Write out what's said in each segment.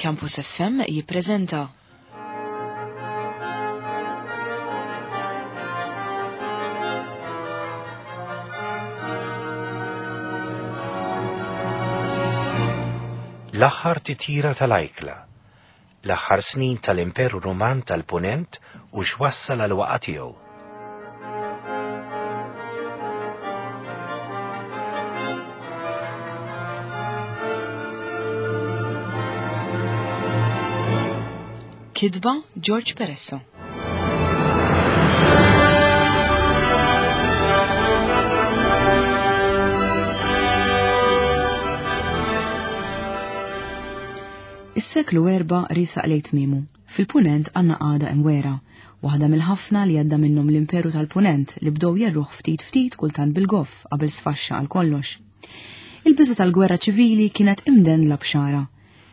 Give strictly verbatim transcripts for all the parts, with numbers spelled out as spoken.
Campus F M jippreżenta L-aħħar titjira tal-ajkla, l-aħħar snin tal-Imperu Ruman tal-Punent u x'wassal għal waqa tiegħu. Kitba George Peresso. Is-seklu erba' riesaq lejn tmiemu. Fil-Punent għandna qagħda imwera, waħda mill-ħafna li għadda minnhom l-Imperu tal-Punent li bdew jerruħ ftit ftit, kultant bil-goff, qabel sfaxxa għal kollox. Il-biża tal-gwerra ċivili kienet imdendla b'xara.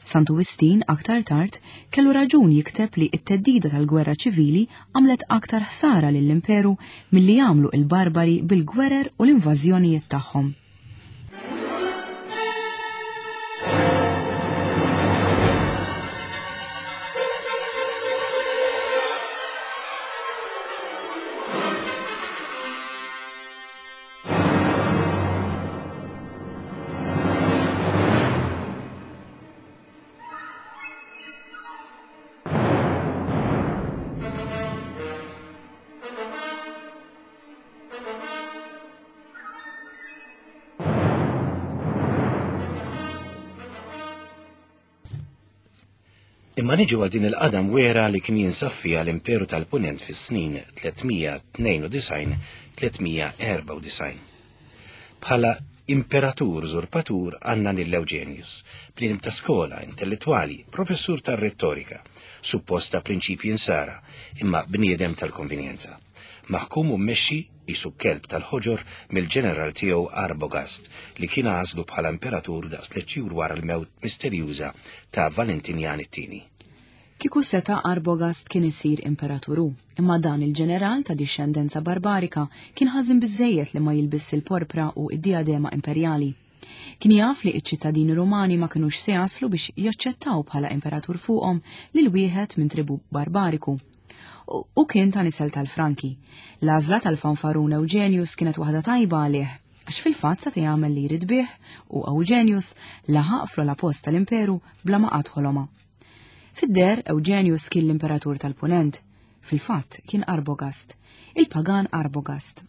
Santu Wistin aktar tard kellu raġun jikteb li t-theddida tal-gwerra ċivili għamlet aktar ħsara lill-imperu milli jagħmlu il-barbari bil-gwerer u l-invażjonijiet tagħhom. Imma niġu għal din il-qagħda mwera li kien jinsab fiha l-Imperu tal-Punent fis-snin tliet mija tnejn u disgħin tliet mija erbgħa u disgħin. Bħala imperatur użurpatur għandna lil Eugenius, bniedem ta' skola, intellettwali, professur tar-rettorika, supposta prinċipji insara, imma bniedem tal-konvenjenza. Maħkum u mmexxi qisu kelb tal-ħoġor mill-ġeneral tiegħu Arbogast, li kien għażlu bħala imperatur daqs tliet xhur wara l-mewt misterjuża ta' Valentinian it-tieni. Kieku seta' Arbogast kien isir imperaturu, imma dan il-ġeneral ta' dixxendenza barbarika kien ħażin biżejjed li ma jilbiss il-porpra u id-diadema imperjali. Kien jaf li iċ-ċittadini Rumani ma kinux se jaslu biex jaċċettaw bħala imperatur fuqhom lil wieħed minn tribu barbariku. U kien ta' nisel tal-Franki. L-għażla tal-fanfarun Eugenius kienet waħda tajba għalih, għax fil-fatt sa jagħmel li jrid bih u Eugenius laħaq fl post tal-imperu bla ma qatt ħoloma. Fid-der Eugenius kien l-imperatur tal-Punent, fil-fatt kien Arbogast, il-pagan Arbogast.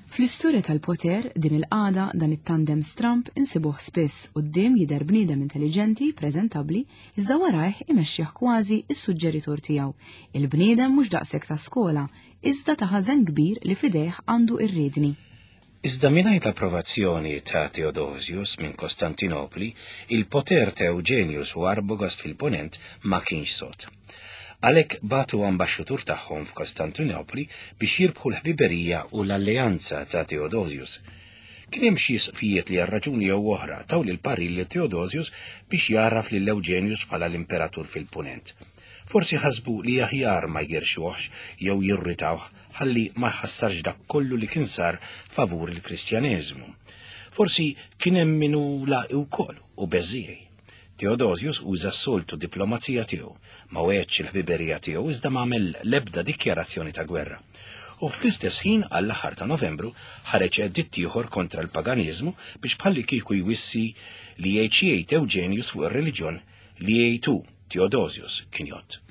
Fl-istorja tal-poter, din il-qagħda, dan it-tandem stramp insibuh spiss. Quddiem jidher bniedem intelligenti, preżentabbli, iżda warajh imexxih kważi is-suġġeritur tiegħu. Il-bniedem mhux daqshekk ta' skola, iżda ta' ħażen kbir li fidejh għandu ir-riedni. Iżda mingħajr l-approvazzjoni ta' Theodosius minn Kostantinopli, il-poter ta' Eugenius u Arbogast fil-Ponent ma kienx sod. Għalhekk bagħtu ambaxxatur tagħhom f'Kostantinopli biex jirbħu l-ħbiberija u l-alleanza ta' Theodosius. Kien hemm xi isqfijiet li għal raġuni jew oħra taw lil parir lil Theodosius biex jagħraf lil Eugenius bħala l-imperatur fil-Punent. Forsi ħasbu li aħjar ma jgerxuhx jew jirritawh ħalli ma jħassarx dak kollu li kien sar favur il-Kristjaneżmu. Forsi kien hemm min hu laqi wkoll u beżiej. Theodosius uża s-soltu diplomazija tiegħu, ma wegħedx il-ħbiberija tiegħu iżda ma għamel l-ebda dikjarazzjoni ta' gwerra. U fl-istess ħin, għall-aħħar ta' Novembru, ħareġ editt ieħor kontra l-paganiżmu biex bħalli kieku jwissi li jgħid xi jgħid Eugenius fuq ir-reliġjon, li jgħid hu Theodosius kien jgħodd.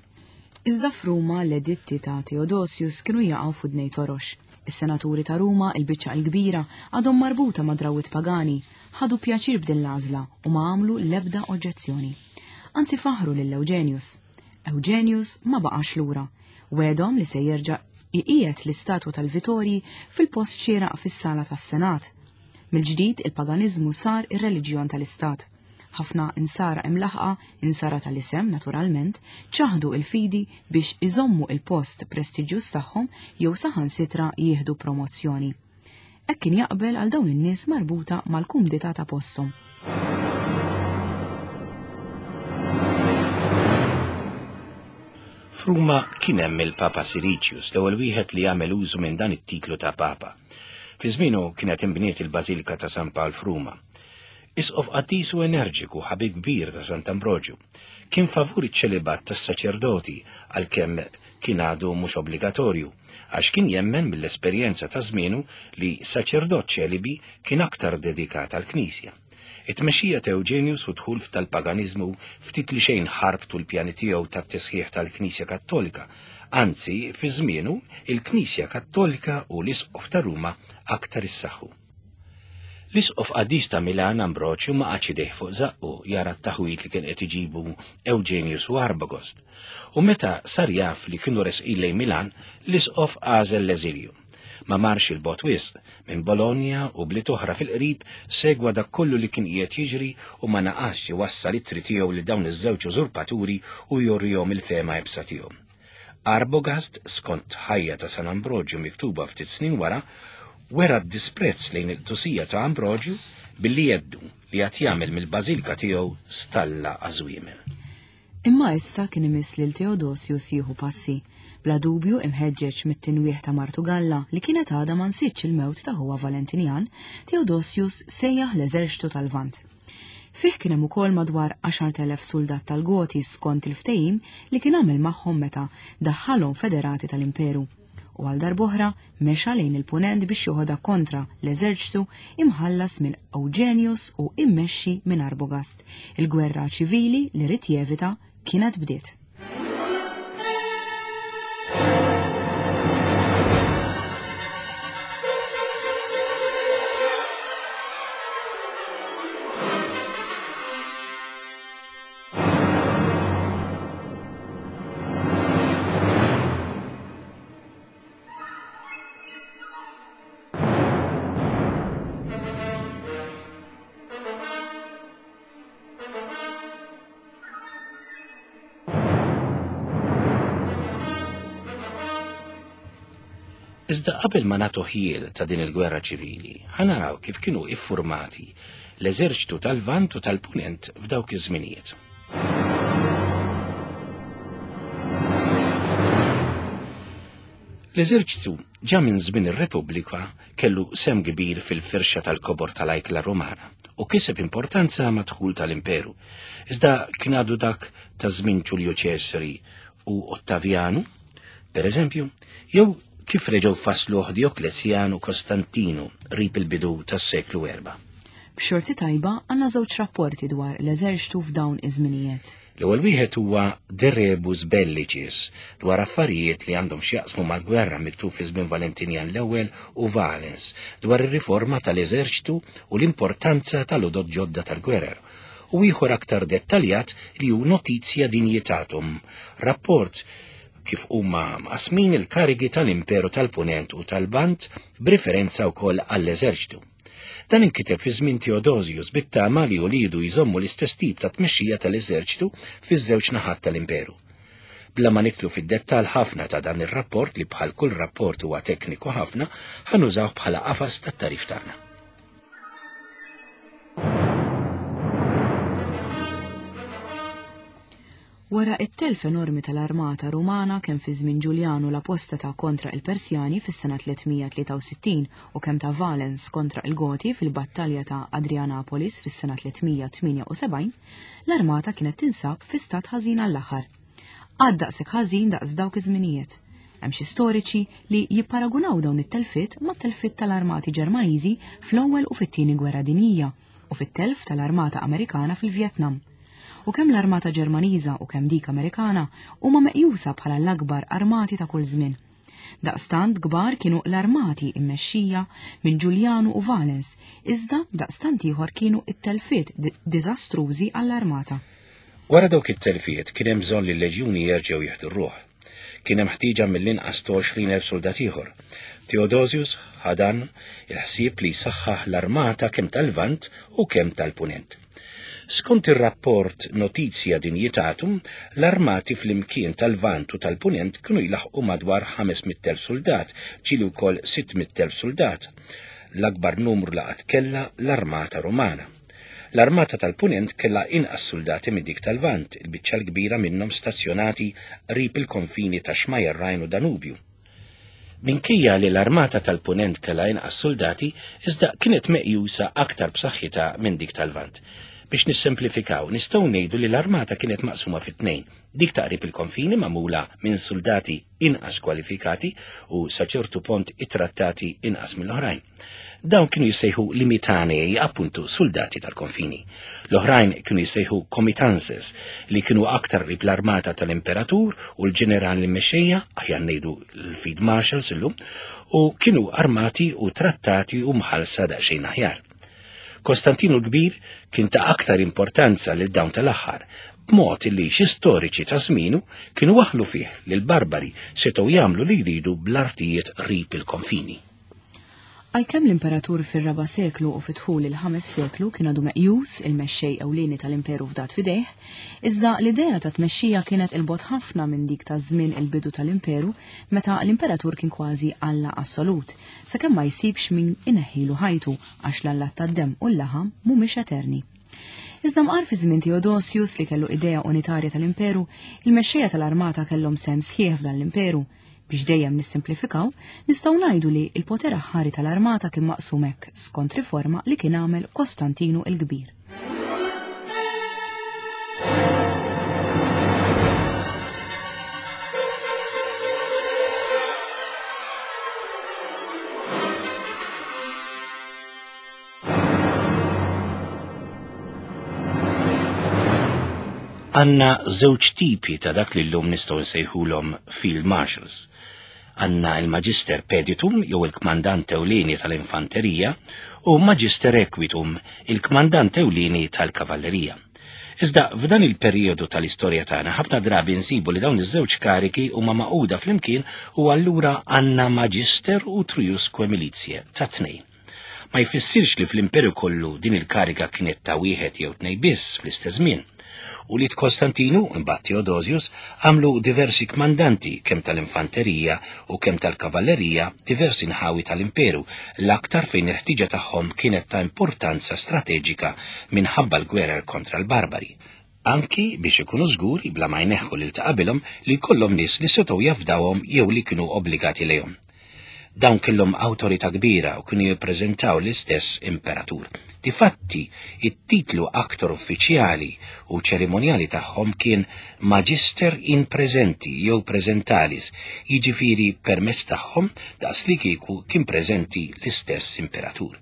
Iżda f'Ruma l-editti ta' Theodosius kienu jaqgħu f'udnej torox. Is-senaturi ta' Ruma, il-biċċa l-kbira, għadhom marbuta ma' drawwiet pagani, ħadu pjaċir b'din l-għażla u ma għamlu l-ebda oġġezzjoni. Anzi, faħru lil Eugenius. Eugenius ma baqax lura. Wegħedhom li se jerġa' iqiegħed l-istatwa tal-Vitorji fil-post xieraq fis-sala tas-Senat. Mill-ġdid il-paganiżmu sar ir-reliġjon tal-Istat. Ħafna insara imlaħqa, insara tal-isem naturalment, ċaħdu il-fidi biex iżommu il-post prestiġjuż tagħhom jew saħansitra jieħdu promozzjoni. Hekk kien jaqbel għal dawn in-nies marbuta mal-kumdità ta' posthom. F'Ruma kien hemm il-Papa Siricius, l-ewwel wieħed li għamel użu minn dan it-titlu ta' Papa. Fi żmienu kienet inbniet il-Bażilika ta' San Pawl f'Ruma. Isqof qaddis u energiku, ħabib kbir ta' Sant'Ambroġju. Kien favur iċ-ċelibat tas-saċerdoti għalkemm kien għadu mhux obbligatorju, għax kien jemmen mill-esperjenza ta' żmienu li saċerdot ċelibi kien aktar dedikat għall-Knisja. It-tmexxija ta' Eugenius u dħul tal-paganiżmu ftit li xejn ħarbtu l-pjani tiegħu tat-tisħiħ tal-Knisja Kattolika. Anzi, fi żmienu, il-Knisja Kattolika u l-Isqof ta' Ruma aktar issaħħu. L-Isqof qaddis ta' Milan Ambroġju ma qagħadx idejh fuq żaqqu jara t-taħwit li kien qed iġibu Eugenius u Arbogost. U meta sar jaf li kienu resqin lejn Milan, l-Isqof għażel l-eżilju. Ma marx il-bot wisq, minn Bologna u bliet oħra fil-qrib segwa dak kollu li kien qiegħed jiġri u ma naqasx iwassal ittri tiegħu lil dawn iż-żewġ użurpaturi u jurihom il-fehma iebsa tiegħu. Arbogast, skont ħajja ta' San Ambroġju miktuba ftit snin wara, wera d-disprezz lejn il-qdusija ta' Ambroġju billi jeddu li qed jagħmel mill-bażilika tiegħu stalla għażwiemel. Imma issa kien imiss lil Theodosius jieħu passi, bla dubju imħeġġeġ mit-tinwieħ ta' Martu Galla li kienet għadha ma nsitx il-mewt ta' ħuha Valentinian, Theodosius sejjaħ l-eżerċtu tal-Lvant. Fih kien hemm ukoll madwar għaxart elef soldat tal-Goti skont il-ftehim li kien għamel magħhom meta daħħalhom federati tal-Imperu. U għal darb'oħra mexa lejn il-punent biex joħodha kontra l-eżerċtu imħallas minn Eugenius u immexxi minn Arbogast. Il-gwerra ċivili li ried jevita kienet bdiet. Iżda qabel ma nagħtu ħjiel ta' din il-gwerra ċivili, ħanaraw kif kienu iffurmati l-eżerċtu tal-Lvant u tal-Punent f'dawk iż-żminijiet. L-eżerċtu ġa minn żmien ir-Repubblika kellu sem kbir fil-firxa tal-kobor tal-ajkla Rumana u kiseb importanza mad-dħul tal-Imperu. Iżda kien għadu dak ta' żmien Ġulju Ċesari u Ottavianu, per eżempju, jew kif reġgħu fasluh Dioklezjan u Kostantinu qrib il-bidu tas-seklu erba. B'xorti tajba għandna żewġ rapporti dwar l-eżerċtu f'dawn iż-żminijiet. L-ewwel wieħed huwa De Rebus Bellicis dwar affarijiet li għandhom x'jaqsmu mal-gwerra miktub fi żmien Valentinian l-ewwel u Valens dwar ir-riforma tal-eżerċtu u l-importanza tal-għodod ġodda tal-gwerer. U ieħor aktar dettaljat li hu Notizia Dignitatum, rapport kif huma mqasmin il-karigi tal-Imperu tal-Punent u tal-Lvant b'referenza wkoll għall-eżerċtu. Dan inkiteb fi żmien Theodosius bit-tama li ulidu jżommu l-istess tip ta' tmexxija tal-eżerċtu fiż-żewġ naħat tal-Imperu. Bla ma nidħlu fid-dettall ħafna ta' dan ir-rapport li bħal kull rapport huwa tekniku ħafna, ħanużaw bħala qafas tat-tarif tagħna. Wara it-telf enormi tal-armata Rumana kemm fi żmien Ġuljanu l-apostata kontra il-Persjani fis-sena tliet mija tlieta u sittin u kemm ta' Valens kontra il-Goti fil-battalja ta' Adrianapolis fis-sena tliet mija tmienja u sebgħin, l-armata kienet tinsab fi stat ħażin għall-aħħar. Għad daqshekk ħażin daqs dawk iż-żminijiet. Hemm xi storiċi li jipparagunaw dawn it-telfiet mat-telfiet tal-armati Ġermaniżi fl-ewwel u fit-tieni gwerra dinjija u fit-telf tal-armata Amerikana fil-Vjetnam. U kemm l-armata Ġermaniża u kemm dik Amerikana huma meqjusa bħala l-akbar armati ta' kull żmien. Daqstant kbar kienu l-armati immexxija minn Ġuljanu u Valens, iżda daqstant ieħor kienu it-telfiet di-, diżastrużi għall-armata. Wara dawk it-telfiet kien hemm bżonn li l-leġjuni jerġgħu jieħdu r-ruħ. Kien hemm ħtieġa mill-inqas ta' għoxrin elf soldat ieħor. Theodosius ħadan il-ħsieb li jsaħħaħ l-armata kemm tal-Lvant u kemm tal-Punent. Skont ir-rapport Notizia Dignitatum, l-armati fl-imkien tal-Lvant u tal-Punent kienu jlaħqu madwar ħames mitt elf soldat, ġieli wkoll sitt mitt elf soldat. L-akbar numru laqat kellha l-armata Rumana. L-armata tal-Punent kellha inqas soldati minn dik tal-Lvant, il-biċċa l-kbira minnhom stazzjonati qrib il-konfini ta' Xmajjar Rajn u Danubju. Minkejja li l-armata tal-Punent kellha inqas soldati, iżda kienet meqjusa aktar b'saħħitha minn dik tal-Lvant. Biex nissemplifikaw, nistgħu ngħidu li l-armata kienet maqsuma fi tnejn, dik ta' qrib il-konfini magħmula minn soldati inqas kwalifikati u sa ċertu punt ittrattati inqas mill-oħrajn. Dawn kienu jissejħu limitanei, appuntu soldati tal-konfini. L-oħrajn kienu jissejħu comitances, li kienu aktar qrib l-armata tal-imperatur u l-ġenerali mexxejja, aħjar ngħidu l-field marshals illum, u kienu armati u trattati u mħallsa daqsxejn aħjar. Kostantinu l-Kbir kien ta' aktar importanza lil dawn tal-aħħar, b'mod li xi storiċi ta' żmienu kienu waħlu fih li l-barbari setgħu jagħmlu li jridu bl-artijiet qrib il-konfini. Għalkemm l-imperatur fir-raba' seklu u fid-dħul il-ħames seklu kien għadu meqjus il-mexxej ewlieni tal-imperu fdat f'idejh, iżda l-idea ta' tmexxija kienet il-bogħod ħafna minn dik ta' żmien il-bidu tal-imperu meta l-imperatur kien kważi alla assolut, sakemm ma jsibx min ineħħilu ħajtu għax l-allat tad-demm u l-laħam mhumiex eterni. Iżda mqar fi żmien Theodosius li kellu idea unitarja tal-imperu, il-mexxejja tal-armata kellhom sehem sħiħ f'dan l-imperu. Biex dejjem nissimplifikaw, nistgħu ngħidu li l-poter aħħari tal-armata kien maqsum hekk skont riforma li kien għamel Kostantinu l-Kbir. Għanna żewġ tipi ta' dak li llum nistgħu nsejħulhom field marshals. Għanna il-Magister Peditum, jew il-kmandant ewlieni tal-infanterija, u Magister Equitum, il-kmandant ewlieni tal-kavallerija. Iżda f'dan il-perjodu tal-istorja tagħna ħafna drabi nsibu li dawn iż-żewġ kariki huma maquda flimkien u allura għandna Magister u Triusque Militiae ta' tnejn. Ma jfissirx li fl-imperu kollu din il-karika kienet ta' wieħed jew tnejn biss fl-istess żmien. U li Kostantinu, imbagħad Theodosius, għamlu diversi kmandanti kemm tal-infanterija u kemm tal-kavallerija diversi nħawi tal-imperu, l-aktar fejn il-ħtiġa tagħhom kienet ta' importanza strateġika minħabba l-gwerer kontra l-barbari. Anki biex ikunu żguri bla ma jneħħu lil ta' qabilhom li jkollhom nies li setgħu jafdawhom jew li kienu obbligati lejhom. Dawn kellhom awtorità kbira u kienu jippreżentaw l-istess imperatur. Difatti, it-titlu aktar uffiċjali u ċerimonjali tagħhom kien Magister in Presenti jew Presentalis, jiġifieri permezz tagħhom daqs li kieku kien preżenti l-istess imperatur.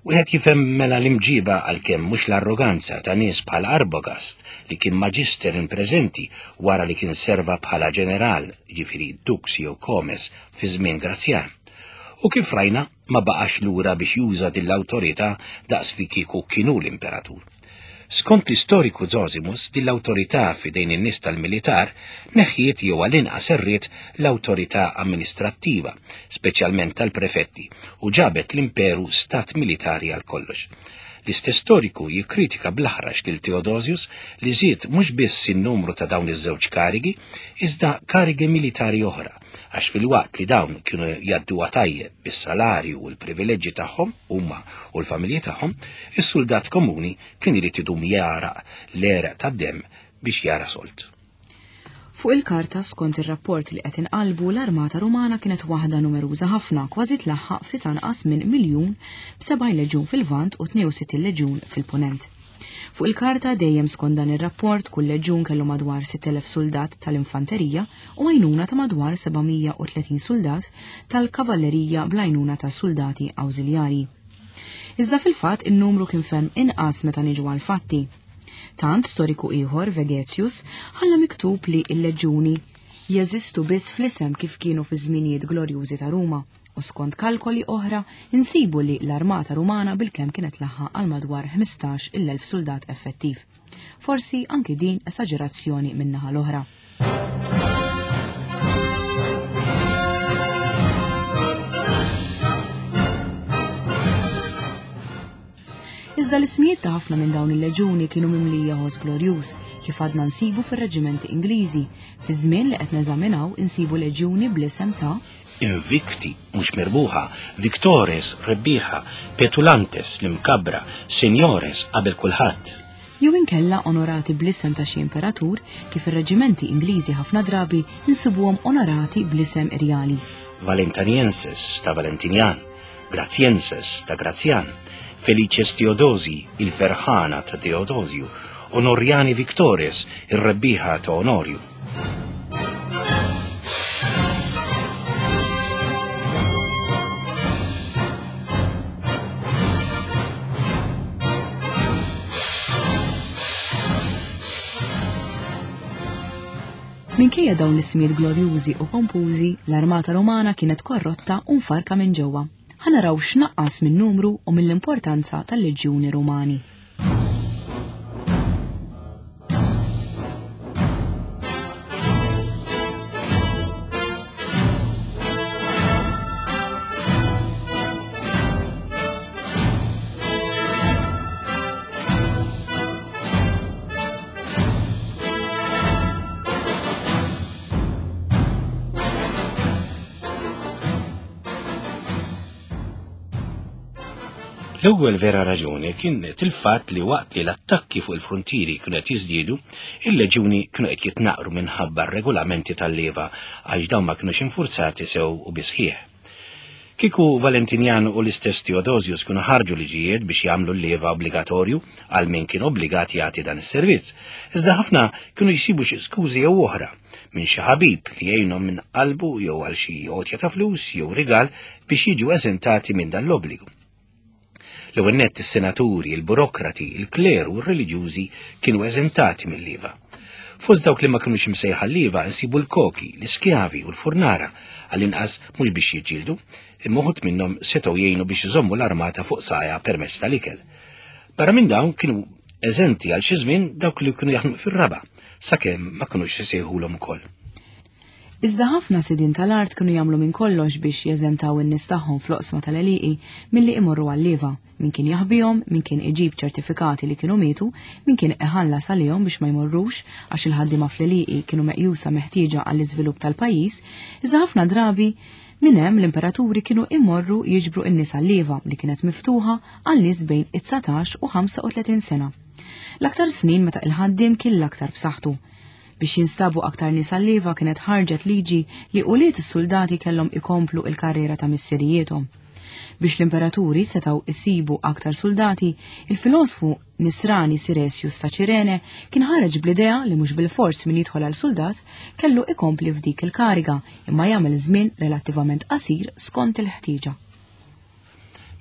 Wieħed jifhem mela l-imġiba għalkemm mhux l-arroganza ta' nies bħal Arbogast li kien Magister in Presenti wara li kien serva bħala ġeneral, jiġifieri dux jew comes fi żmien Grazjan. U kif rajna ma baqax lura biex juża din l-awtorità daqs li kieku kienu l-imperatur. Skont l-istoriku Zosimus, din l-awtorità f'idejn in-nies tal-militar neħjiet jew għall-inqas erriet l-awtorità amministrattiva, speċjalment tal-prefetti, u ġabet l-imperu stat militari għal kollox. L-istess storiku jikkritika bl-aħrax lil Theodosius li żied mhux biss in-numru ta' dawn iż-żewġ karigi, iżda karigi militari oħra, għax fil-waqt li dawn kienu jgħadduha tajjeb bis-salarju u l-privileġġi tagħhom huma u l-familji tagħhom, is-soldat komuni kien irid idum jaraq l-għeraq tad-demm biex jara solt. Fuq il-karta skont ir-rapport li qed inqalbu l-armata Rumana kienet waħda numeruża ħafna, kważi tlaħħaq ftit anqas minn miljun b'sebgħin leġjun fil-Lvant u tnejn u sittin leġjun fil-Punent. Fuq il-karta dejjem skont dan ir-rapport kull leġjun kellu madwar sitt elef soldat tal-infanterija u għajnuna ta' madwar seba' mija u tletin soldat tal-kavallerija bl-għajnuna ta' soldati awżiljarji. Iżda fil-fatt in-numru kien ferm inqas meta niġu għal-fatti. Tant storiku ieħor, Vegetius, ħalla miktub li l-leġjuni jeżistu biss fl-isem kif kienu fi żminijiet glorjużi ta' Ruma, u skont kalkoli oħra insibu li l-armata Rumana bilkemm kienet laħħaq għal madwar ħmistax il-elf soldat effettiv. Forsi anki din esaġerazzjoni min-naħa l-oħra. Iżda l-ismijiet ta' ħafna minn dawn il-leġuni kienu mimlija ħoss glorjuż, kif għadna nsibu fir-reġimenti Ingliżi. Fi żmien li qed neżaminaw insibu leġuni bl-isem ta' Invicti, mhux mirbuħa, Victores, rebbieħa, Petulantes, l-imkabra, Seniores, qabel kulħadd. Jew inkella onorati bl-isem ta' xi imperatur, kif ir-reġimenti Ingliżi ħafna drabi insibuhom onorati bl-isem irjali. Valentanienses ta' Valentinian, Grazienses ta' Grazian, Felices Teodosi, il-ferħana ta' Teodosju, Onoriani Victores, ir-rebbieħa ta' Onorju. Minkejja dawn l-ismijiet glorjużi u pompużi, l-armata Romana kienet korrotta u mfarka minn ġewwa. Ħa naraw x'naqqas min-numru u mill-importanza tal-leġjuni Rumani. L-ewwel vera raġuni kienet il-fatt li waqt li l-attakki fuq il-frontieri kienu qed jiżdiedu, il-leġjuni kienu qed jitnaqru minħabba r-regolamenti tal-leva għax dawn ma kinux infurzati sew u bisħieħ. Kieku Valentinian u l-istess Theodosius kienu ħarġu liġijiet biex jagħmlu l-leva obbligatorju għal min kien obbligat jagħti dan is-servizz, iżda ħafna kienu jsibu xi skużi jew oħra minn xi ħabib li jgħinhom minn qalbu jew għal xi għotja ta' flus jew rigal biex jiġu eżentati minn dan l-obbligu. L-ewwel nett is-senaturi, il-burokrati, il-kleru u r-reliġjużi kienu eżentati mill-leva. Fost dawk li ma kinux imsejħa l-leva nsibu l-koki, l-iskjavi u l-furnara, għall-inqas mhux biex jiġġieldu, imma uħud minnhom setgħu jgħinu biex iżommu l-armata fuq sajja permezz tal-ikel. Barra minn dawn kienu eżenti għal xi żmien dawk li kienu jaħdmu fir-raba', sakemm ma kinux isejħulhom ukoll. Iżda ħafna sidien tal-art kienu jagħmlu minn kollox biex jeżentaw in-nies tagħhom fl-oqsma tal-għelieqi milli imorru għal-leva, min kien jaħbihom, min kien iġib ċertifikati li kienu mietu, min kien iħallas għalihom biex ma jmorrux għax il-ħaddiema fl-għelieqi kienu meqjusa meħtieġa għall-iżvilupp tal-pajjiż, iżda ħafna drabi minn hemm l-imperaturi kienu immorru jiġbru n-nies għal-leva li kienet miftuħa għal nies bejn it-dsatax u ħamsa u tletin sena. L-aktar snin meta il-ħaddiem kien l-aktar b'saħħtu. Biex jinstabu aktar nies għal-leva kienet ħarġet liġi li ulied is-soldati kellhom ikomplu il-karriera ta' missirijiethom. Biex l-imperaturi setgħu isibu aktar soldati, il-filosfu Nisrani Siresius ta' Ċirene kien ħareġ bl-idea li mhux bil-fors min jidħol għal soldat kellu ikompli f'dik il-kariga imma jagħmel żmien relattivament qasir skont il-ħtieġa.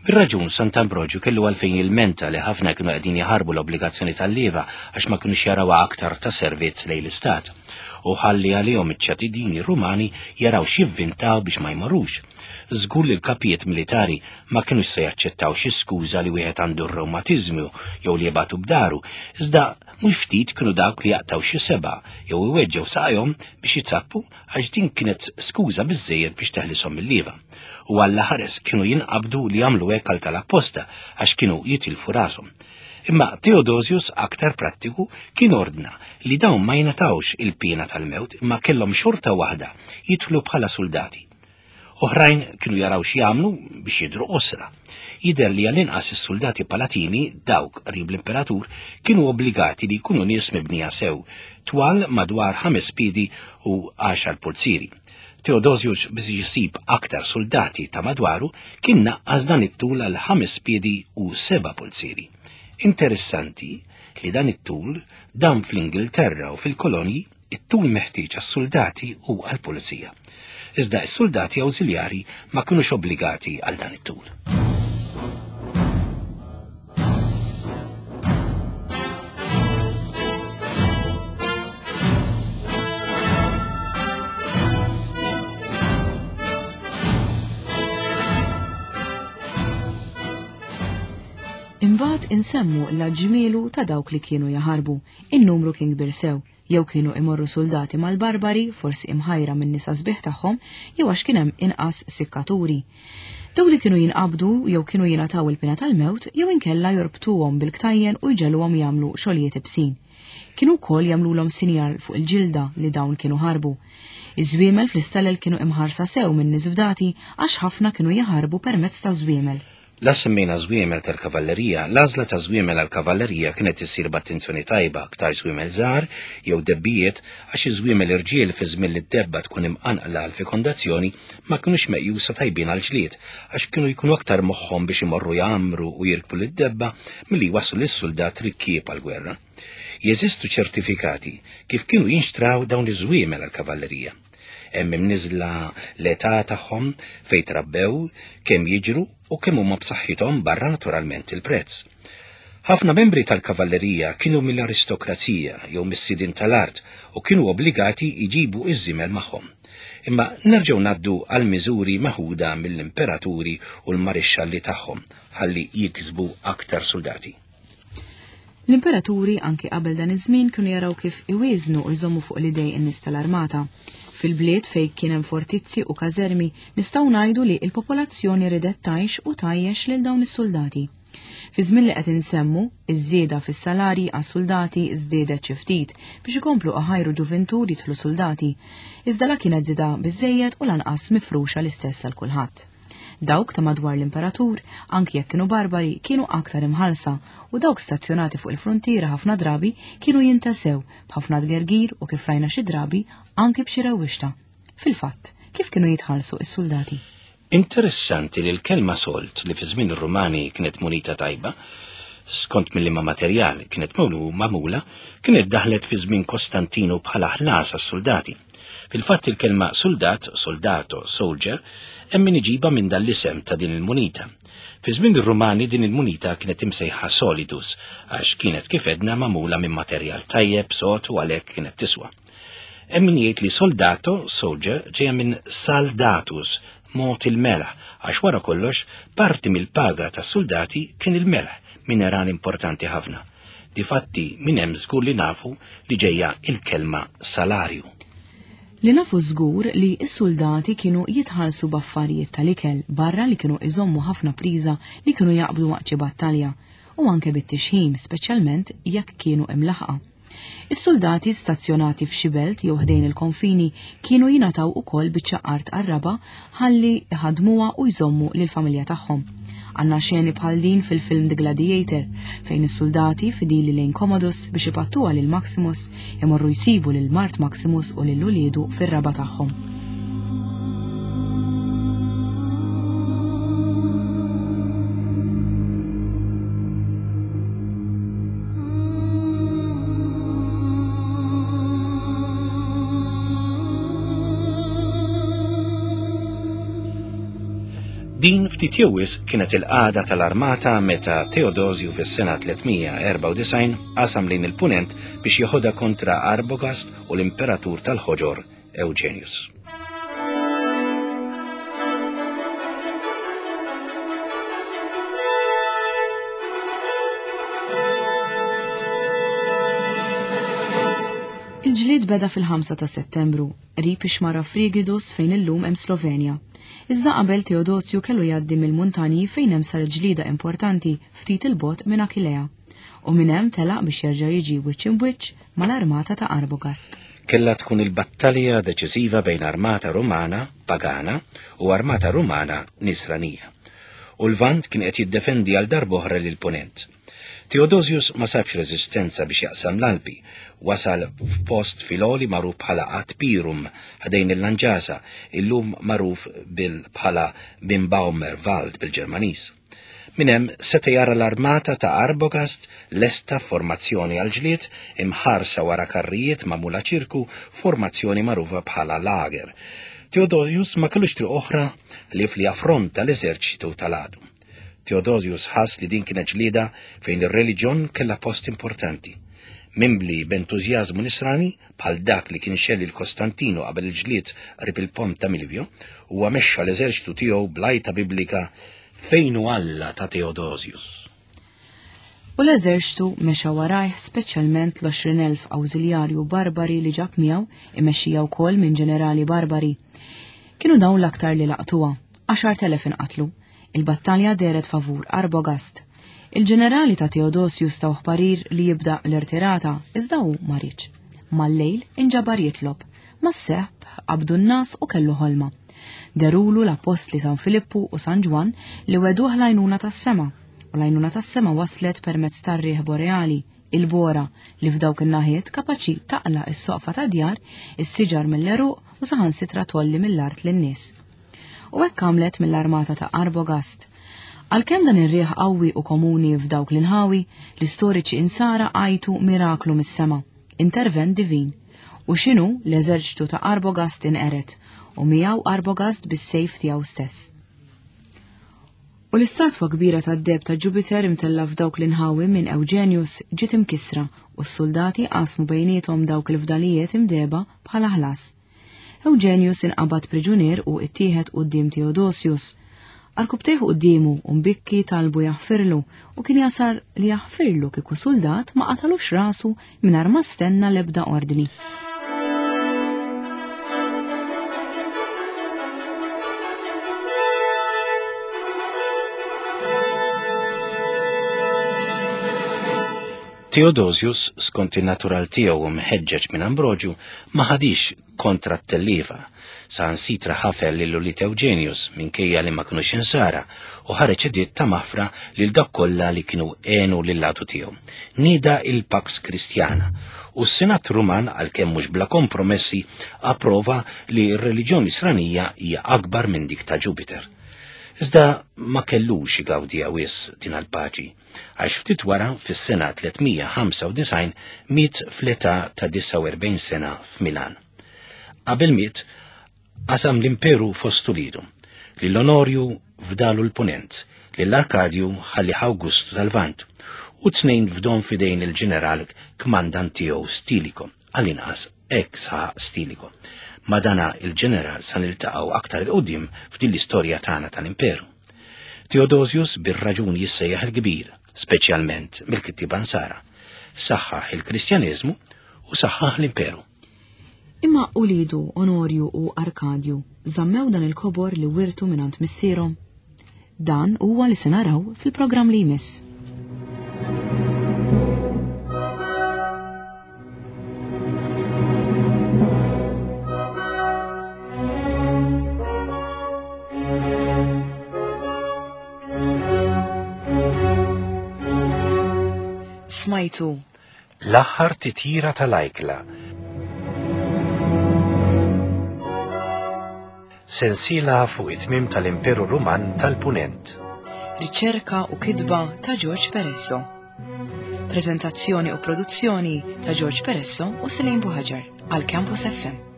Bir-raġun Sant'Ambrogju kellu għalfejn jilmenta li ħafna kienu qegħdin jaħarbu l-obbligazzjoni tal-leva għax ma kinux jarawha aktar ta' servizz lejn l-istat u ħalli għalihom iċ-ċittadini Rumani jaraw x'jivvintaw biex ma jmorrux. Żgur li l-kapijiet militari ma kinux se jaċċettaw xi skuża li wieħed għandu r-rewmatiżmu jew li jibgħatu b'daru, iżda mhux ftit kienu dawk li jaqtaw xi seba' jew iweġġew saqajhom biex jitzappu għax din kienet skuża biżżejjed biex teħlishom mill-leva. U għalla ħares kienu jinqabdu li jagħmlu hekk għal tal-apposta għax kienu jitilfu rashom. Imma Theodosius aktar prattiku kien ordna li dawn ma jingħatawx il-piena tal-mewt imma kellhom xorta waħda jidħlu bħala soldati. Oħrajn kienu jaraw x'jagħmlu biex jidhru qosra. Jidher li għall-inqas is-soldati palatini dawk qrib l-imperatur kienu obbligati li jkunu nies mibnija sew, twal madwar ħames piedi u għaxar pulzieri. Theodosius biex jisib aktar soldati ta' madwaru kien naqqas dan it-tul għal ħames piedi u seba' pulzieri. Interessanti li dan it-tul dam fl-Ingilterra u fil-kolonji it-tul meħtieġ għas-soldati u għall-pulizija. Iżda s-soldati awżiljari ma kinux obbligati għal dan it-tul. Imbagħad insemmu l-ġmielu ta' dawk li kienu jaħarbu, in-numru kien kbir sew, jew kienu imorru soldati mal-barbari, forsi imħajra minn nisa sbieħ tagħhom, jew għax kien hemm inqas sikkaturi. Dawk li kienu jinqabdu jew kienu jingħataw il-pena tal-mewt jew inkella jorbtuhom bil-ktajjen u jġegħluhom jagħmlu xogħlijiet ibsin. Kienu wkoll jagħmluhom sinjal fuq il-ġilda li dawn kienu ħarbu. Iż-żwiemel fl-istalel kienu imħarsa sew minn nies fdati għax ħafna kienu jaħarbu permezz ta' żwiemel. La semmejna żwiemel tal-kavallerija, l-għażla ta' żwiemel għall-kavallerija kienet issir b'attenzjoni tajba, aktar żwiemel żgħar jew debbijiet, għax iż-żwiemel irġiel fi żmien li d-debba tkun imqanqla għal fekondazzjoni ma kinux meqjusa tajbin għal ġlied, għax kienu jkunu aktar moħħhom biex imorru jgħammru u jirkbu lid-debba milli jwasslu lis-suldat rikkieb għall-gwerra. Jeżistu ċertifikati kif kienu jinxtraw dawn iż-żwiemel għall-kavallerija. Hemm imniżla l-età tagħhom, fejn trabbew, kemm jiġru u kemm huma b'saħħithom barra naturalment il-prezz. Ħafna membri tal-kavallerija kienu mill-aristokrazija jew mis-sidien tal-art u kienu obbligati jġibu iż-żiemel magħhom. Imma nerġgħu ngħaddu għal miżuri meħuda mill-imperaturi u l-marixxalli tagħhom ħalli jiksbu aktar soldati. L-imperaturi anki qabel dan iż-żmien kienu jaraw kif iwieżnu u jżommu fuq l-idej in-nies tal-armata. Fil-bliet fejn kien hemm fortizzi u każermi nistgħu ngħidu li l-popolazzjoni ridet tgħix u tgħajjex lil dawn is-soldati. Fi żmien li qed insemmu, iż-żieda fis-salarji għas-soldati żdiedet xi ftit biex ikomplu iħajru ġuventur jidħlu soldati, iżda la kienet żieda biżejjed u lanqas mifruxa l-istess għal kulħadd. Dawk ta' madwar l-imperatur, anki jekk kienu barbari, kienu aktar imħalsa u dawk stazzjonati fuq il-frontiera ħafna drabi kienu jintasew b'ħafna tgergir u kif rajna xi drabi anki b'xi rewwixta. Fil-fatt, kif kienu jitħallsu s-soldati? Interessanti li l-kelma sold li fi żmien ir-Rumani kienet munita tajba, skont mill-liema materjal kienet magħmula, kienet daħlet fi żmien Kostantinu bħala ħlas għas-soldati. Fil-fatt il-kelma soldat, soldato, soldier, hemm min iġiba minn dan l-isem ta' din il-munita. Fi żmien ir-Rumani din il-munita kienet imsejħa solidus, għax kienet kif edna magħmula minn materjal tajjeb, sod u għalhekk kienet tiswa. Hemm min jgħid li soldato, soldier, ġejja minn saldatus, mod il-melħ, għax wara kollox parti mill-paga tas-soldati kien il-melħ, mineral importanti ħafna. Difatti minn hemm żgur li nafu li ġejja il-kelma salarju. Li nafu żgur li s-soldati kienu jitħallsu b'affarijiet tal-ikel barra li kienu iżommu ħafna priża li kienu jaqbdu waqt xi battalja u anke bit-tixħim, speċjalment jekk kienu imlaħqa. Is-soldati stazzjonati f'xi belt jew ħdejn il-konfini kienu jingħataw ukoll biċċa art għar-raba ħalli iħadmuha u jżommu lill-familja tagħhom. Għandna xeni bħal din fil-film The Gladiator, fejn is-soldati fidili lejn Commodus biex ipattuha lil Maximus imorru jsibu lil mart Maximus u lil uliedu fir-raba tagħhom. Din ftit jew wisq kienet il-qagħda tal-armata meta Teodosju fis-sena tliet mija erbgħa u disgħin qasam lejn il-punent biex jeħodha kontra Arbogast u l-imperatur tal-ħoġor Eugenius. Il-ġlied beda fil-ħamsa ta' Settembru, qrib ix-xmara Frigidus fejn illum hemm Slovenja. Iżda qabel Teodosju kellu jgħaddi mill-muntanji fejn hemm sar ġlieda importanti ftit il-bogħod minn Achillea. U minn hemm telaq biex jerġa' jiġi wiċċ imwiċċ mal-armata ta' Arbogast. Kellha tkun il-battalja deċiżiva bejn armata Rumana pagana u armata Rumana nisranija. U l-Lvant kien qed jiddefendi għal darb'oħra lil punent. Theodosius ma sabx reżistenza biex jaqsam l-Alpi, wasal f'post fil-għoli magħruf bħala Atpirum ħdejn il-Lanġasa, illum magħruf bil bħala Bimbaumerwald bil-Ġermaniż. Minn hemm seta' jara l-armata ta' Arbogast lesta formazzjoni għal ġlied imħarsa wara karrijiet magħmula ċirku, formazzjoni magħrufa bħala lager. Theodosius ma kellux triq oħra li fli affronta l-eżerċitu tal-għadu. Theodosius ħass li din kienet ġlieda fejn ir-reliġjon kellha post importanti. Mimbli b'entużjażmu nisrani bħal dak li kien xelli l-Kostantino qabel il-ġlied qrib il-pont ta' Milvio, huwa mexxa l-eżerċitu tiegħu bl-għajta biblika fejn hu Alla ta' Theodosius. U l-eżerċitu mexa warajh speċjalment l-għoxrin elf awżiljarju barbari li ġab miegħu imexxija wkoll minn ġenerali barbari. Kienu dawn l-aktar li laqtuha, għaxart elef inqatlu. Il-battalja deret favur Arbogast. Il-ġenerali ta' Theodosius tawh parir li jibda l-irtirata, iżda hu ma riedx. Mal-lejl inġabar jitlob. Mas-seħb qabdu n-nas u kellu ħolma. Derulu l-apostli San Filippu u San Ġwann li weduh l-għajnuna tas-sema, u l-għajnuna tas-sema waslet permezz tar-riħ boreali, il-bora, li f'dawk in-naħiet kapaċi taqla' s-soqfa ta' djar, is-siġar mill-għeruq u saħansitra tolli mill-art lin-nies. U hekk għamlet mill-armata ta' Arbogast. Għalkemm dan ir-riħ qawwi u komuni f'dawk l-inħawi, l-istoriċi insara għajtu miraklu mis-sema, intervent divin. U x'inhu l-eżerċtu ta' Arbogast inqeret, u miegħu Arbogast bis-sejf tiegħu stess. U l-istatwa kbira tad-deheb ta' Jupiter imtella f'dawk l-inħawi minn Eugenius ġiet imkisra u s-soldati qasmu bejniethom dawk il-fdalijiet imdeba bħala ħlas. Eugenius inqabad priġunier u ittieħed quddiem Theodosius. Arkubtejh quddiemu u mbikki talbu jaħfirlu u kien jasar li jaħfirlu kieku soldat ma qatalux rasu mingħajr ma stenna l-ebda ordni. Theodosius, skont in-natural tiegħu u mħeġġeġ minn Ambroġju, ma ħadix kontra t-tellifa. Saħansitra ħafel lil ulied Eugenius minkejja li ma kinux insara u ħareġ editt ta' maħfra lil dak kollha li kienu għenu lil-latu tiegħu. Nieda il-Pax Christiana u s-Senat Ruman, għalkemm mhux bla kompromessi, approva li r-reliġjon Nisranija hija akbar minn dik ta' Jupiter. Iżda ma kellux igawdiha wisq din il-paċi, għax ftit wara fis-sena tliet mija ħamsa u disgħin miet fl-età ta' disgħa u erbgħin sena f'Milan. Qabel miet, qasam l-imperu fost uliedu, lil Onorju fdalu l-Punent, lil Arkadju ħalli Awgustu tal-Lvant, u tnejn fdon fidejn il-ġeneral kmandant tiegħu Stiliko, għall-inqas hekk saħaq Stiliko. Ma dana il-ġeneral sa niltaqgħu aktar il-qudiem f'din l-istorja tagħna tal-imperu. Theodosius bir-raġun jissejjaħ il-kbir, speċjalment mill-kittieba Nsara. Saħħaħ il-Kristjaneżmu u saħħaħ l-imperu. Imma ulidu Onorju u Arkadju żammew dan il-kobor li wirtu mingħand missierhom. Dan huwa li se naraw fil-programm li jmiss. Smajtu L-aħħar titjira tal-ajkla. Sensiela fuq it-tmiem tal-Imperu Ruman tal-Punent. Riċerka u kitba ta' George Peresso. Prezentazzjoni u produzzjoni ta' George Peresso u Selene Buhaġar għal Campus F M.